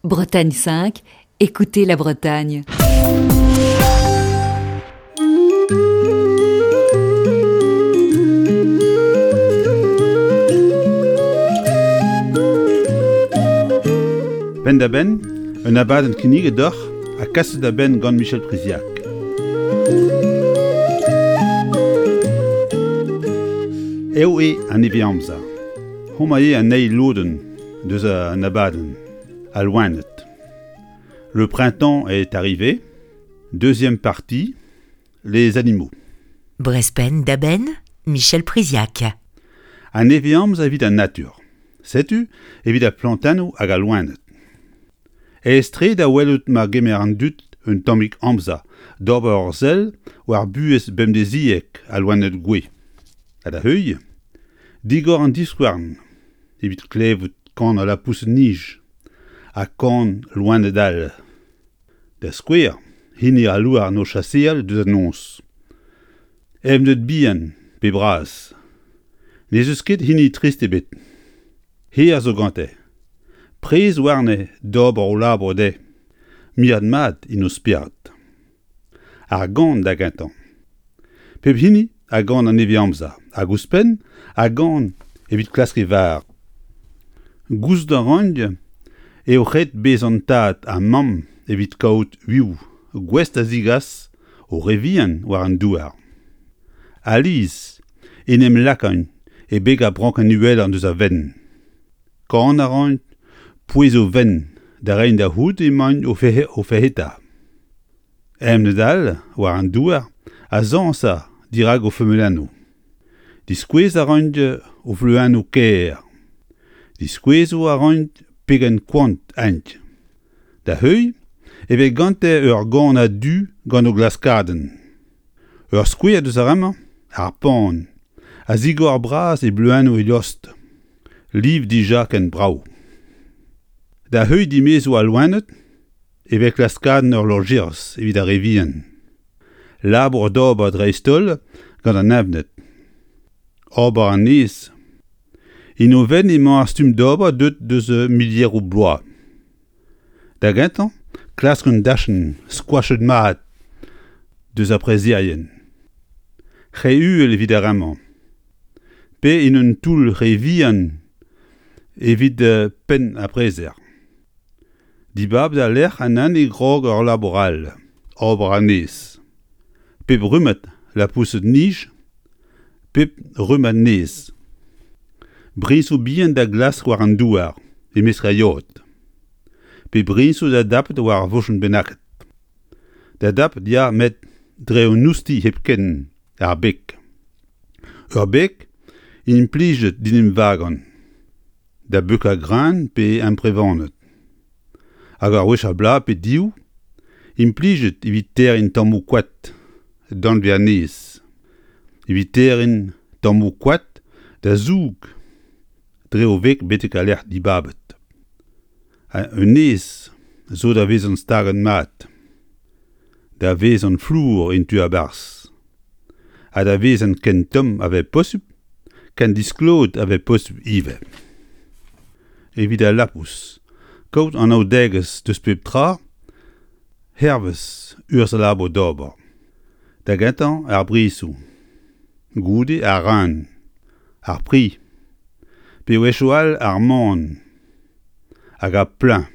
Bretagne 5, écoutez la Bretagne. Penn-da-benn, un abadenn kinniget deoc'h ha kaset da benn gant Michel Priziac. Eo eo an nevez-amzer. Homañ eo an eil lodenn deus an abadenn, al loened. Le printemps est arrivé. Deuxième partie, les animaux. Brespenn da benn, Michel Priziac. An nevez-amzer evit an natur. Setu evit ar plantennoù hag al loened. Aes-tre da welout ma gemer an dud un tammig amzer d'ober ur sell war buhez bemdeziek al loened gouez. Ha da heuilh, digor an divskouarn evit klevout kan al lapoused-nij ha kan loened all. Da skouer, hini al louarn o chaseal deus an noz. Evned bihan pe bras. N'ez eus ket hini trist ebet. Hir zo gante. Prez warne d'ober o labour dezhe. Mirat mat int o spered. Ar gan da gentañ. Pep hini a gan an nevez-amzer hag ouzhpenn a gan evit klask e varr. Gouzout a ran eo ret bezañ tad ha mamm evit kaout uioù gouest da zegas o re vihan war an douar. Alies en em lakaint e beg ar brankenn uhelañ deus a vent. Kan a raint pouez o vent da reiñ da c'hoût emaint o ferc'heta. Evned all war an douar a zañsa dirak o feumelennoù. Diskouez a raint o fluennoù kaer. Diskouezoù a raint pegen koant int. Da heuilh e vez gante ur gan a-du gant o glaskadenn. Ur skouer deus ar re-mañ, ar pan, a zigor bras e bluennoù e lost. Liv dija ken brav. Da heuilh dimezoù al loened e vez klaskadenn ur lojeris evit ar re vihan. Labour d'ober dreist-holl gant an evned. Ober an nez. En o fenn emañ ar stumm d'ober deuet deus milieroù bloaz. Da gentañ, klask un dachenn skoachet mat deus ar prezerien. Re uhel evit ar re-mañ. Pe en un toull re vihan evit penn ar prezer. Dibab da lec'h an hini grog ur labour all, ober anez. Pep rummad lapoused-nij, pep rummad nez. Briñsoù bihan da glask war an douar, e-mesk ar yod. Pe briñsoù da dapout war ar vochenn bennaket. Da dapout ya met dre un oustilh hepken, ar beg. Ur beg implijet d'en em vagañ. da beukañ greun pe amprevaned. Hag ur wech ar bloaz pe div, implijet evit terriñ tammoù koad danvez-annez, evit terriñ tammoù koad da zoug dre o veg betek al lec'h dibabet. Ha un nez zo da vezañ staget mat, da vezañ flour en tu a-barzh, ha da vezañ ken tomm a vez posupl, ken disklot a vez posupl ivez. Evit al lapous, kaout anaoudegezh deus pep tra hervez urzh al labour d'ober. Da gentañ ar brizoù, goude ar ran, ar pri, pe wechoù all ar man. Hag ar pluñv,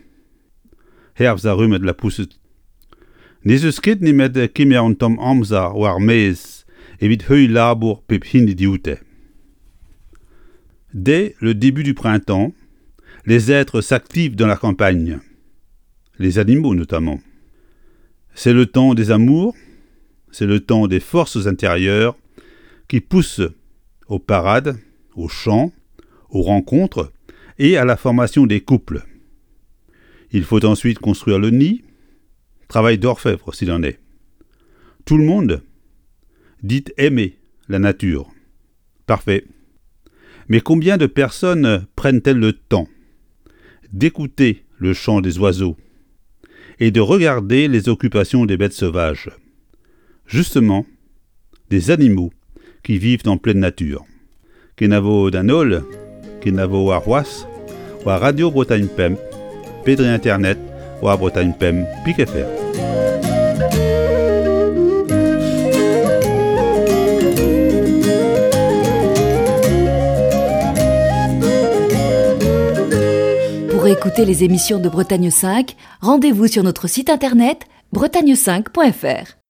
hervez ar rummad lapoused. N'ez eus ket nemet kemer un tamm amzer war maez evit heuilh labour pep hini dioute. Dès le début du printemps, les êtres s'activent dans la campagne, les animaux notamment. C'est le temps des amours, c'est le temps des forces intérieures qui poussent aux parades, aux chants, aux rencontres et à la formation des couples. Il faut ensuite construire le nid, travail d'orfèvre s'il en est. Tout le monde dit aimer la nature. Parfait. Mais combien de personnes prennent-elles le temps d'écouter le chant des oiseaux et de regarder les occupations des bêtes sauvages Justement, des animaux qui vivent en pleine nature. Kenavo d'an holl, kenavo warc'hoazh, war Radio Bretagne Pemp. pe dre internet war bretagne5.fr. Pour écouter les émissions de Bretagne 5, rendez-vous sur notre site internet bretagne5.fr.